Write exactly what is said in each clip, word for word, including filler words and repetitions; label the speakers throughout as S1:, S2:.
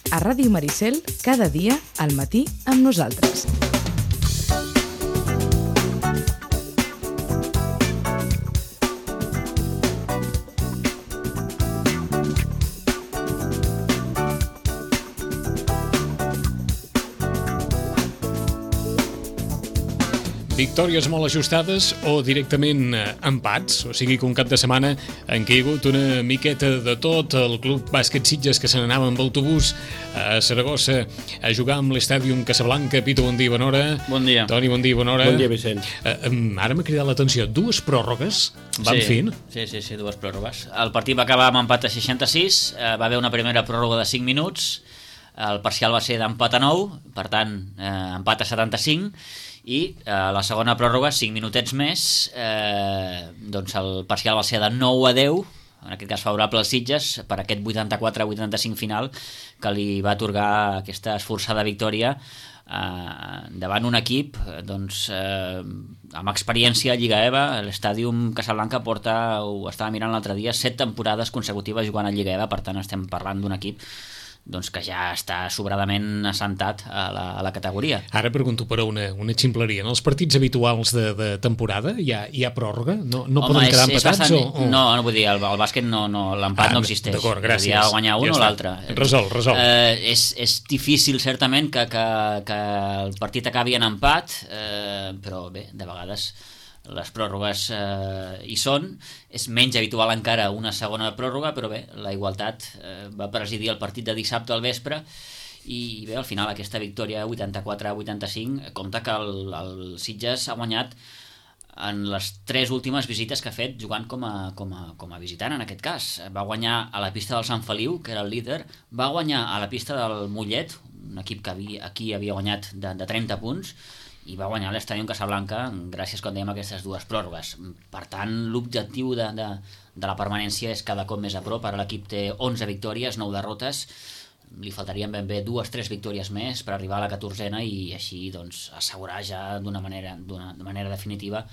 S1: A Ràdio Maricel, cada dia, al matí, amb nosaltres.
S2: Victòries molt ajustades o directament empats, o sigui que un cap de setmana en què hi ha hagut una miqueta de tot. El Club Bàsquet Sitges que se n'anava amb autobús a Saragossa a jugar amb l'Estàdium Casablanca. Pito, bon dia, bona hora.
S3: Bon dia.
S2: Toni, bon dia, bona hora.
S4: Bon dia, Vicent.
S2: Uh, ara m'ha cridat l'atenció, dues pròrrogues van
S3: sí,
S2: fent.
S3: Sí, sí, sí, dues pròrrogues. El partit va acabar amb empat a seixanta-sis, eh, va haver una primera pròrroga de cinc minuts, el parcial va ser d'empat a nou, per tant, eh, empat a setanta-cinc, i eh, la segona pròrroga, cinc minutets més, eh, doncs el parcial va ser de nou a deu, en aquest cas favorable als Sitges, per aquest vuitanta-quatre a vuitanta-cinc final que li va atorgar aquesta esforçada victòria eh, davant un equip doncs, eh, amb experiència a Lliga E V A. L'Estàdium Casablanca porta, ho estava mirant l'altre dia, set temporades consecutives jugant a Lliga E V A, per tant estem parlant d'un equip doncs que ja està sobradament assentat a la, a la categoria.
S2: Ara pregunto per una, una ximpleria. En els partits habituals de, de temporada hi ha, hi ha pròrroga? No, no
S3: Home,
S2: poden
S3: és,
S2: quedar
S3: és
S2: empatats?
S3: bastant...
S2: O, o...
S3: No, no vull dir, el, el bàsquet no, no, l'empat
S2: ah,
S3: no existeix.
S2: D'acord, gràcies.
S3: Hi ha guanyar un
S2: ja
S3: o l'altre.
S2: Resol, resol.
S3: Eh, és, és difícil, certament, que, que, que el partit acabi en empat, eh, però bé, de vegades les pròrrogues eh, hi són. És menys habitual encara una segona pròrroga, però bé, la igualtat eh, va presidir el partit de dissabte al vespre i bé, al final aquesta victòria vuitanta-quatre a vuitanta-cinc compta que el, el Sitges ha guanyat en les tres últimes visites que ha fet jugant com a, com a, com a visitant en aquest cas. Va guanyar a la pista del Sant Feliu, que era el líder, va guanyar a la pista del Mollet, un equip que havia, aquí havia guanyat de, de trenta punts, i va guanyar l'Estàdium Casablanca gràcies, com dèiem, a aquestes dues pròrrogues. Per tant, l'objectiu de, de, de la permanència és cada cop més a prop. Ara l'equip té onze victòries, nou derrotes, li faltarien ben bé dues, tres victòries més per arribar a la catorzena i així doncs, assegurar ja d'una manera, d'una manera definitiva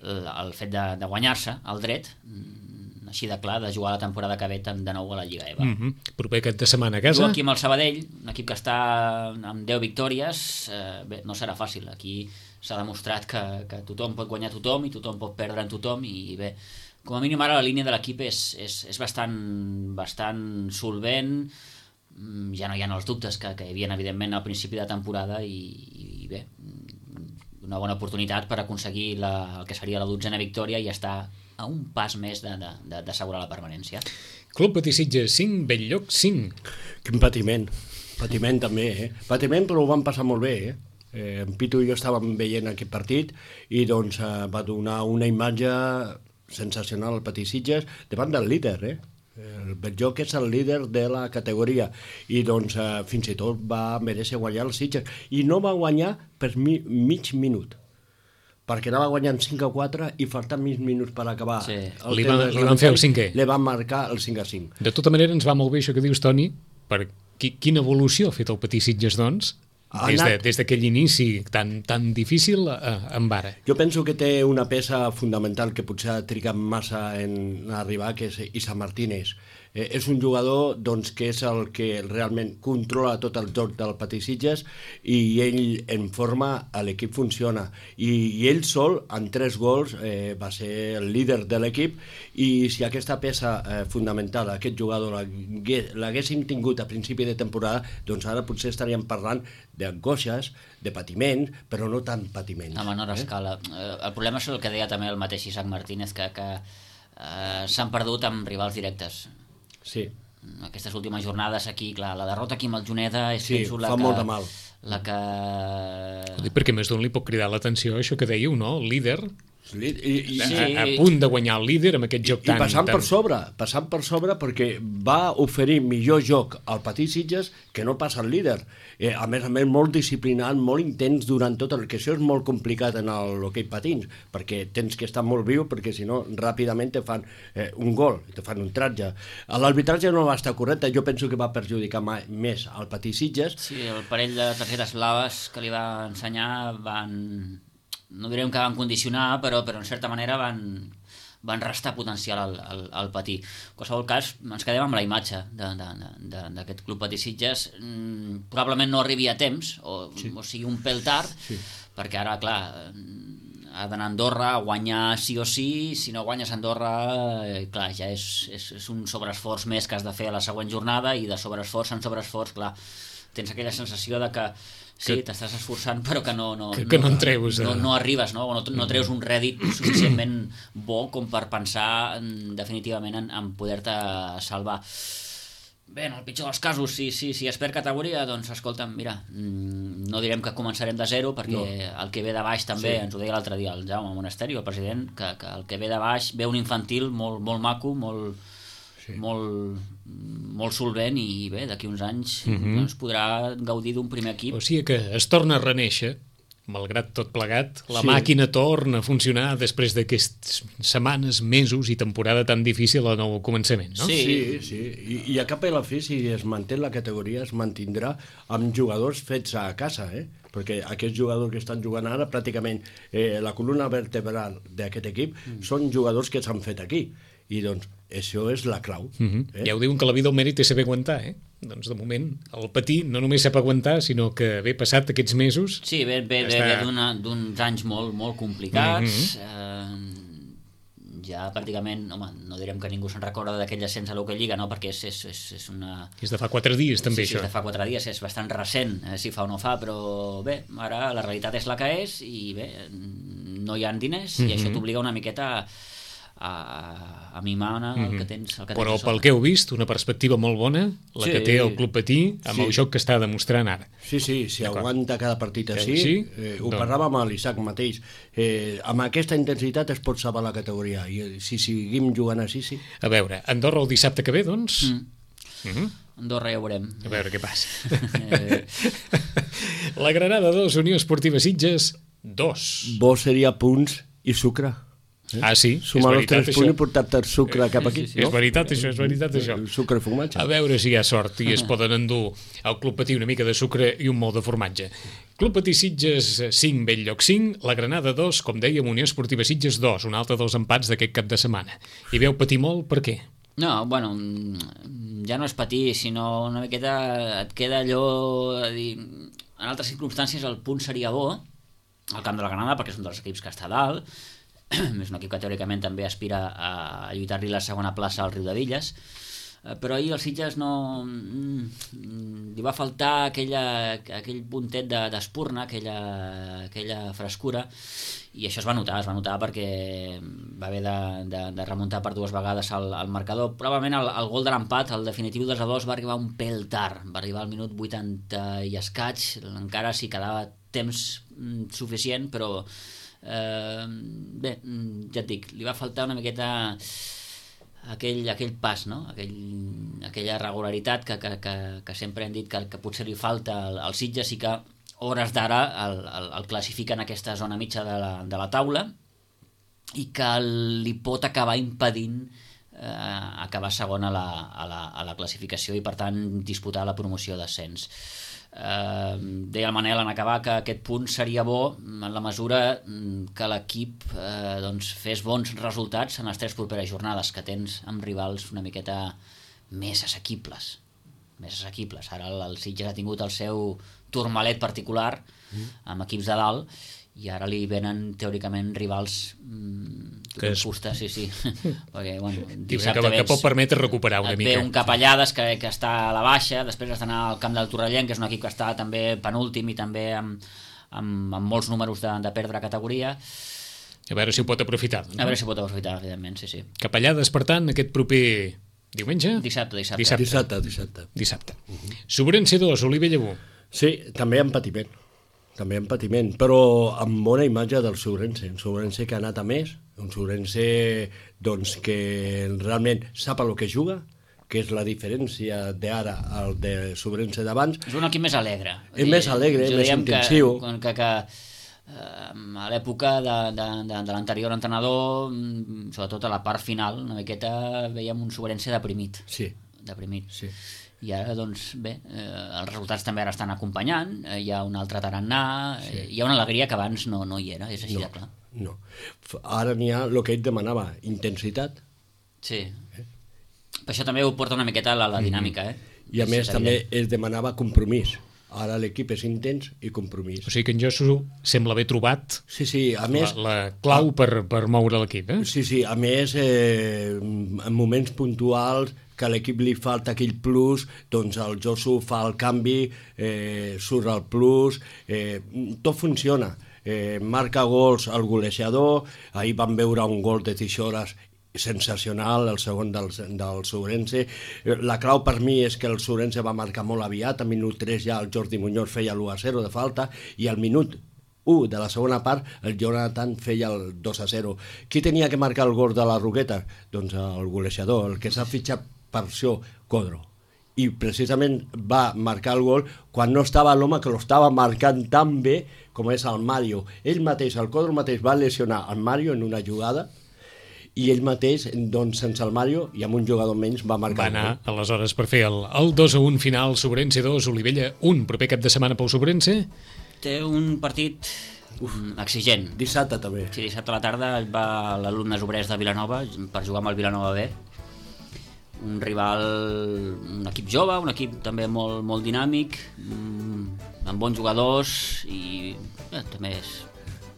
S3: el, el fet de, de guanyar-se el dret, així de clar, de jugar la temporada que ve de nou a la Lliga E V A.
S2: Mm-hmm. Proper aquest de setmana a casa.
S3: Juga aquí amb el Sabadell, un equip que està amb deu victòries, eh, bé, no serà fàcil. Aquí s'ha demostrat que, que tothom pot guanyar tothom i tothom pot perdre en tothom i bé, com a mínim ara la línia de l'equip és, és, és bastant, bastant solvent. Ja no hi ha els dubtes que, que hi havia evidentment al principi de temporada i, i bé, una bona oportunitat per aconseguir la, el que seria la dotzena victòria i estar a un pas més d'assegurar la permanència.
S2: Club Patí Sitges cinc, Belllloc cinc.
S4: Quin patiment, patiment també, eh? Patiment, però ho vam passar molt bé, eh? eh en Pitu i jo estàvem veient aquest partit i doncs eh, va donar una imatge sensacional al Patí Sitges davant del líder, eh? El Belllloc és el líder de la categoria i doncs eh, fins i tot va mereixer guanyar el Sitges i no va guanyar per mi, mig minut, perquè anava guanyant cinc a quatre i faltant mig minuts per acabar.
S3: Sí.
S2: Li, van, li van fer el cinquè.
S4: Li van marcar el cinc a cinc.
S2: De tota manera, ens va molt bé això que dius, Toni, per qui, quina evolució ha fet el Patí Sitges, doncs, des, de, des d'aquell inici tan, tan difícil a, amb ara.
S4: Jo penso que té una peça fundamental que potser ha trigat massa en arribar, que és Isa Martínez. Eh, és un jugador doncs, que és el que realment controla tot el joc del Patí Sitges i ell en forma, l'equip funciona. I, i ell sol, en tres gols, eh, va ser el líder de l'equip i si aquesta peça eh, fundamental, aquest jugador, l'haguéssim tingut a principi de temporada, doncs ara potser estaríem parlant d'angoixes, de patiment, però no tant patiment.
S3: A menor eh? escala. El problema és el que deia també el mateix Isaac Martínez, que, que eh, s'han perdut amb rivals directes.
S4: Sí.
S3: Aquestes últimes jornades aquí, clar, la derrota aquí amb el Juneda és
S4: sí,
S3: la
S4: fa
S3: que,
S4: molt de mal.
S3: La que...
S2: Perquè més d'un li pot cridar l'atenció això que dèieu, no? El líder...
S4: I, i,
S2: a, a punt de guanyar el líder amb aquest joc
S4: i,
S2: tan...
S4: I passant
S2: tan...
S4: per sobre, passant per sobre perquè va oferir millor joc al Patí Sitges que no passa el líder. Eh, a més a més, molt disciplinat, molt intens durant tot el que això és molt complicat en l'hoquei patins, perquè tens que estar molt viu, perquè si no, ràpidament te fan eh, un gol, te fan un tratge. L'arbitratge no va estar correcte, jo penso que va perjudicar més al Patí Sitges.
S3: Sí, el parell de targetes blaves que li va ensenyar van... no direm que van condicionar, però, però en certa manera van, van restar potencial al, al, al Patí. En qualsevol cas, ens quedem amb la imatge d'aquest Club Patí Sitges. Mm, probablement no arribi a temps, o, sí. o sigui, un pèl tard, sí. perquè ara, clar, ha d'anar a Andorra a guanyar sí o sí, si no guanyes a Andorra, eh, clar, ja és, és, és un sobreesforç més que has de fer a la següent jornada, i de sobreesforç en sobreesforç, clar, tens aquella sensació de que sí, t'estàs esforçant, però que no, no,
S2: que, que no, en treus,
S3: no, no arribes, no? No, no treus un rèdit suficientment bo com per pensar en, definitivament en, en poder-te salvar. Bé, en el pitjor dels casos, si, si, si es perd categoria, doncs escolta'm, mira, no direm que començarem de zero, perquè no. El que ve de baix també, sí. Ens ho deia l'altre dia el Jaume Monasteri, el president, que, que el que ve de baix ve un infantil molt, molt maco, molt, sí. molt, molt solvent, i bé, d'aquí uns anys uh-huh. doncs podrà gaudir d'un primer equip.
S2: O sigui que es torna a renéixer, malgrat tot plegat, la
S4: sí.
S2: màquina torna a funcionar després d'aquestes setmanes, mesos i temporada tan difícil al nou començament, no?
S4: Sí, sí, sí. I, i a cap a la fi, si es manté la categoria, es mantindrà amb jugadors fets a casa, eh? Perquè aquests jugadors que estan jugant ara, pràcticament eh, la columna vertebral d'aquest equip mm. són jugadors que s'han fet aquí. I doncs això és la clau.
S2: Uh-huh. eh? Ja ho diuen que la vida al mèrit és saber aguantar, eh? Doncs de moment el Patí no només sap aguantar, sinó que ve passat aquests mesos...
S3: Sí, ve, ve, ve, està... ve d'uns anys molt, molt complicats, uh-huh. eh, ja pràcticament, home, no direm que ningú se'n recorda d'aquell ascens a l'Hockey Lliga, no? Perquè és, és, és, és una...
S2: És de fa quatre dies també,
S3: sí,
S2: això.
S3: Sí, és de fa quatre dies, és bastant recent, eh, si fa o no fa, però bé, ara la realitat és la que és, i bé, no hi ha diners, uh-huh. i això t'obliga una miqueta a a, a mimar el mm-hmm. que tens, el que
S2: però
S3: tens
S2: pel que heu vist, una perspectiva molt bona la
S3: sí.
S2: que té el Club Patí amb sí. el joc que està demostrant ara.
S4: Sí, sí, si aguanta cada partit així,
S2: sí?
S4: eh, ho doncs... parlàvem amb l'Isaac mateix, eh, amb aquesta intensitat es pot salvar la categoria, i si seguim jugant així, sí.
S2: A veure, Andorra el dissabte que ve, doncs?
S3: Mm. Mm-hmm. Andorra ja ho veurem.
S2: A veure què passa. La Granada dos, Unió Esportiva Sitges dos.
S4: Bo seria punts i sucre.
S2: Eh? Ah, sí,
S4: sumar els tres punts i portar-te el sucre cap aquí.
S2: Sí, sí, no? És veritat això, és veritat això.
S4: El sucre i formatge.
S2: A veure si hi ha sort i es poden endur al Club Patí una mica de sucre i un molt de formatge. Club Patí Sitges cinc, Belllloc cinc, la Granada dos, com dèiem, Unió Esportiva Sitges dos, un altre dels empats d'aquest cap de setmana. I veu patir molt, per què?
S3: No, bueno, ja no és patir, sinó una miqueta et queda allò a dir, en altres circumstàncies el punt seria bo al camp de la Granada perquè és un dels equips que està a dalt, és un equip que teòricament també aspira a lluitar-li la segona plaça al Riudevilles, però ahir el Sitges no li va faltar aquella, aquell puntet d'espurna, aquella, aquella frescura, i això es va notar, es va notar perquè va haver de, de, de remuntar per dues vegades al, al marcador. Probablement el, el gol de l'empat, el definitiu dos a dos, va arribar un pèl tard, va arribar al minut vuitanta i escaig, encara si quedava temps suficient, però eh, bé, ja et dic, li va faltar una miqueta aquell, aquell pas, no? aquell, aquella regularitat que, que, que, que sempre hem dit que, que potser li falta al, al Sitges, i que hores d'ara el, el, el classifica en aquesta zona mitja de la, de la taula, i que li pot acabar impedint eh, acabar segon a la, a, la, a la classificació i per tant disputar la promoció d'ascens. Uh, deia el Manel en acabar que aquest punt seria bo en la mesura que l'equip uh, doncs fes bons resultats en les tres properes jornades, que tens amb rivals una miqueta més assequibles més assequibles. Ara el, el Sitges ha tingut el seu turmalet particular amb equips de dalt, i ara li venen teòricament rivals mmm, que és fusta, sí, sí. Perquè, bueno, dissabte
S2: que,
S3: vens,
S2: que pot permetre recuperar una
S3: et
S2: mica.
S3: ve un Capellades que, que està a la baixa, després has d'anar al camp del Torrellent, que és un equip que està també penúltim i també amb, amb, amb molts números de, de perdre categoria.
S2: A veure si ho pot aprofitar.
S3: No? A veure si ho pot aprofitar, evidentment, sí, sí.
S2: Capellades, per tant, aquest proper diumenge?
S3: Dissabte, dissabte.
S2: Dissabte,
S4: dissabte. dissabte.
S2: dissabte. Uh-huh. Sobrense dos, Olivella u.
S4: Sí, també en patiment. També en patiment, però amb bona imatge del Sobrense. Un Sobrense que ha anat a més, un Sobrense doncs, que realment sap el que juga, que és la diferència d'ara al de Sobrense d'abans.
S3: És un equip més alegre.
S4: És més alegre, més intensiu.
S3: Que, que, que eh, a l'època de, de, de, de l'anterior entrenador, sobretot a la part final, una miqueta veiem un Sobrense deprimit.
S4: Sí.
S3: Deprimit.
S4: Sí.
S3: I ara, doncs, bé, eh, els resultats també ara estan acompanyant, eh, hi ha un altre tarannà, sí. eh, hi ha una alegria que abans no, no hi era, és així
S4: no,
S3: de clar.
S4: No. Ara n'hi ha el que ell demanava, intensitat.
S3: Sí. Eh? Per això també ho porta una miqueta a la, la dinàmica, eh?
S4: I a més també es demanava compromís. Ara l'equip és intens i compromís.
S2: O sigui que en Josu sembla haver trobat
S4: sí, sí, a més,
S2: la, la clau per, per moure l'equip, eh?
S4: Sí, sí, a més, eh, en moments puntuals que a l'equip li falta aquell plus, doncs el Josu fa el canvi, eh, surt el plus, eh, tot funciona. Eh, marca gols al golejador, ahir vam veure un gol de Tixores sensacional, el segon del, del Sourense. La clau per mi és que el Sourense va marcar molt aviat, a minut tres ja el Jordi Muñoz feia l'u a zero de falta, i al minut u de la segona part el Jonathan feia el dos a zero. Qui tenia que marcar el gol de la Roqueta? Doncs el golejador, el que s'ha fitxat per això, Codro. I precisament va marcar el gol quan no estava l'home que l'estava marcant tan bé com és el Mario. Ell mateix, el Codro mateix, va lesionar el Mario en una jugada i ell mateix, doncs, sense el Mario i amb un jugador menys, va marcar.
S2: Va anar, aleshores, per fer el, el dos a un final, Sobrense dos, Olivella un, proper cap de setmana pel Sobrense.
S3: Té un partit Uf, exigent.
S4: Dissabte també.
S3: Sí, dissabte a la tarda va l'alumnes obrers de Vilanova per jugar amb el Vilanova B. Un rival, un equip jove, un equip també molt, molt dinàmic, amb bons jugadors i eh, també és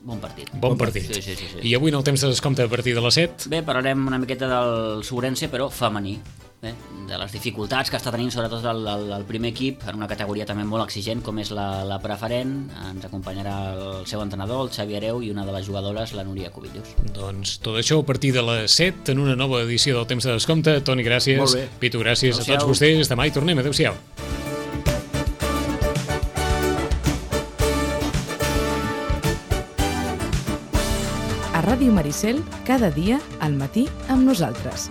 S3: bon partit.
S2: Bon partit.
S3: Sí, sí, sí, sí.
S2: I avui en el temps de descompte a partir de les set?
S3: Bé, parlarem una miqueta del Sourense, però femení. Bé, de les dificultats que està tenint sobretot el, el, el primer equip en una categoria també molt exigent com és la, la preferent. Ens acompanyarà el seu entrenador, el Xavi Areu, i una de les jugadores, la Núria Cubillos.
S2: Doncs tot això a partir de les set en una nova edició del temps de descompte. Toni, gràcies.
S4: Molt bé.
S2: Pitu, gràcies.
S3: Adéu-siau.
S2: A tots vostès. Demà hi tornem. Adéu-siau.
S1: A Ràdio Maricel, cada dia al matí amb nosaltres.